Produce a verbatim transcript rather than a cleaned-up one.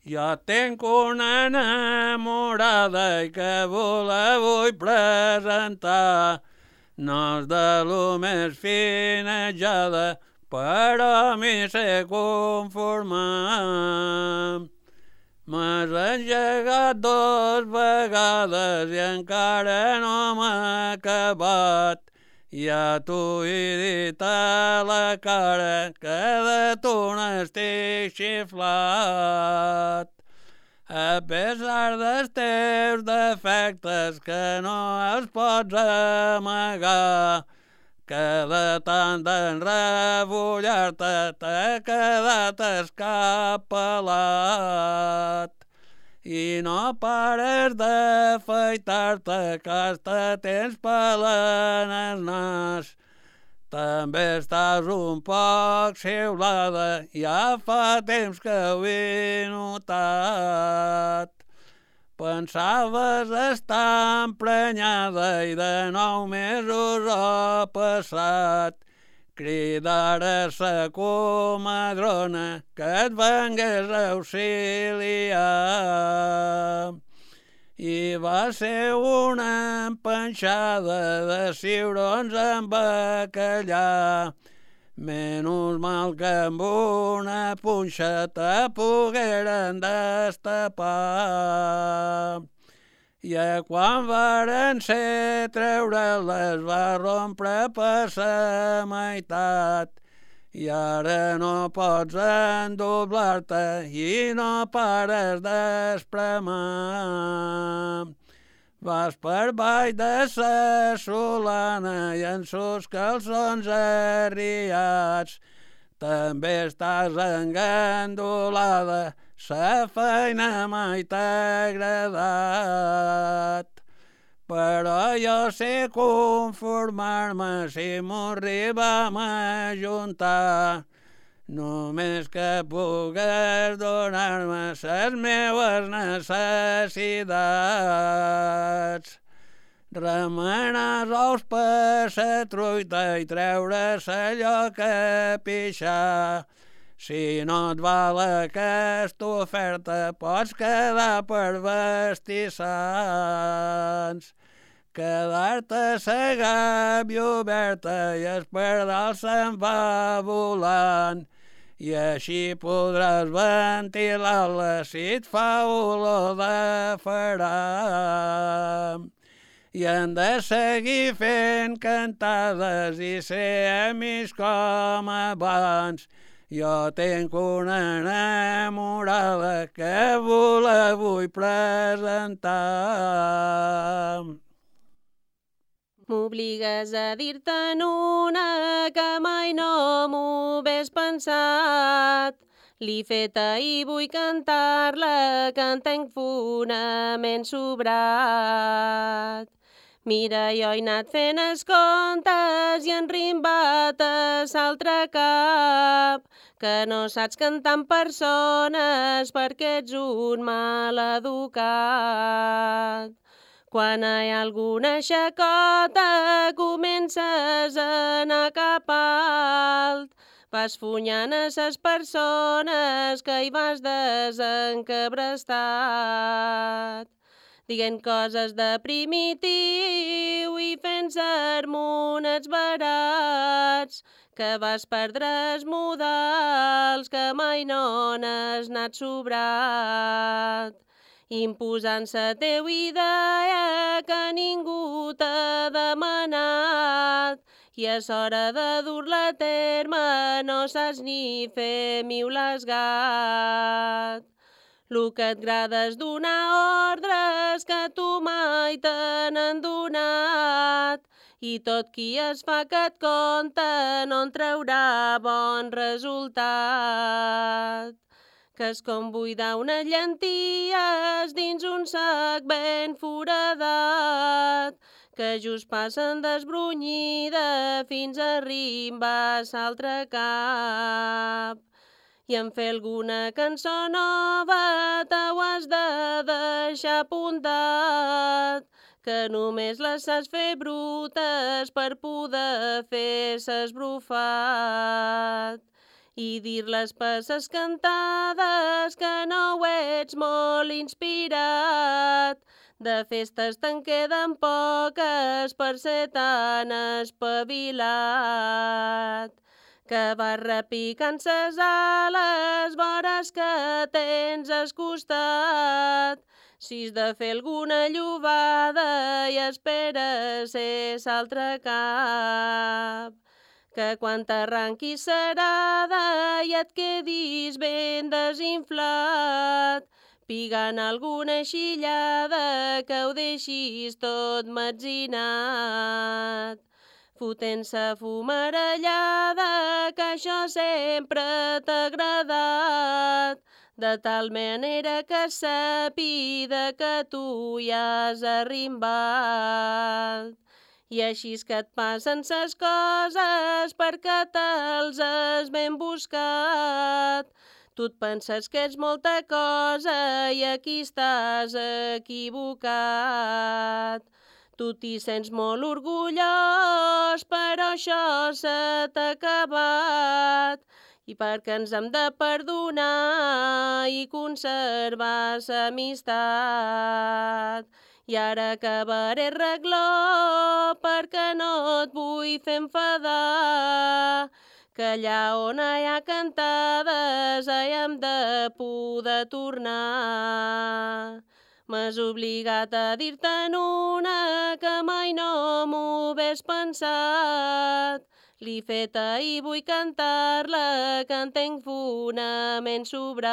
Jo tinc una enamorada i que vos la vull presentar. No és de lo més finejada, però m'hi sé conformar. M'has engegat dos vegades i encara no m'ha acabat. Ja t'ho he dit a la cara que de tu n'estic xiflat. A pesar dels teus defectes que no els pots amagar, que de tant d'enrebollar-te t'ha quedat escapelat. I no pares d'afaitar-te, que hasta tens pel en el nas. També estàs un poc xiulada, ja fa temps que ho he notat. Pensaves estar emprenyada i de nou mesos ha passat. Cridar a sa comadrona que et vengués a auxiliar. I va ser una empanxada de ciurons amb bacallà. Menys mal que amb una punxa te pogueren destapar. I quan varen ser treure-les va rompre per sa meitat. I ara no pots endoblar-te i no pares d'espremar. Vas per baix de sa solana i en sos calçons arriats. També estàs engandolada, sa feina mai t'ha agradat. Però jo sé conformar-me si m'ho arribam a juntar. Només que pugues donar-me ses meues necessitats. Remenar ous per sa truita i treure sa lloca pixar. Si no et val aquesta oferta, pots quedar per vestissants. Quedar-te sa gàbia oberta i el pardal se'n va volant. I així podràs ventilar-la si et fa olor de faram. I hem de seguir fent cantades i ser amics com abans. Jo tinc una enamorada que vos la vull presentar. M'obligues a dir-te'n una que mai no m'ho hagués pensat. L'he feta i vull cantar-la, que en tenc fonament sobrat. Mira, jo he anat fent els contes i enrimbat a l'altre cap, que no saps cantar amb persones perquè ets un mal educat. Quan hi ha alguna xacota comences a anar cap alt, vas funyant a ses persones que hi vas desencabrestat. Dient coses de primitiu i fent sermonets barats, que vas perdre els modals que mai no n'has anat sobrat. Imposant la teva idea que ningú t'ha demanat i és hora de dur-la a terme, no saps ni fer miulesgat. Lo que et agrada és donar ordres que tu mai te n'han donat i tot qui es fa que et compta no en traurà bon resultat. Que és com buidar unes llenties dins un sac ben foradat, que just passen desbrunyida fins a rimbar l'altre cap. I en fer alguna cançó nova t'ho has de deixar apuntat, que només les saps fer brutes per poder fer s'esbrufat. i dir les passes cantades que no ho ets molt inspirat. De festes te'n queden poques per ser tan espavilat, que vas repicant ses ales, vores que tens al costat. Si has de fer alguna llobada i esperes ser l'altre cap, que quan t'arranquis serada i et quedis ben desinflat, pigant alguna xillada que ho deixis tot metzinat. Fotent-se fumarellada, que això sempre t'ha agradat, de tal manera que sàpiga que tu hi has arrimbat. I així és que et passen ses coses perquè te'ls has ben buscat. Tu et penses que ets molta cosa i aquí estàs equivocat. Tu t'hi sents molt orgullós, però això se t'ha acabat. I perquè ens hem de perdonar i conservar l'amistat. I ara acabaré regló perquè no et vull fer enfadar, que allà on hi ha cantades hi hem de poder tornar. M'has obligat a dir-te'n una que mai no m'ho hagués pensat. L'he feta i vull cantar-la, que en tenc fonament sobrat.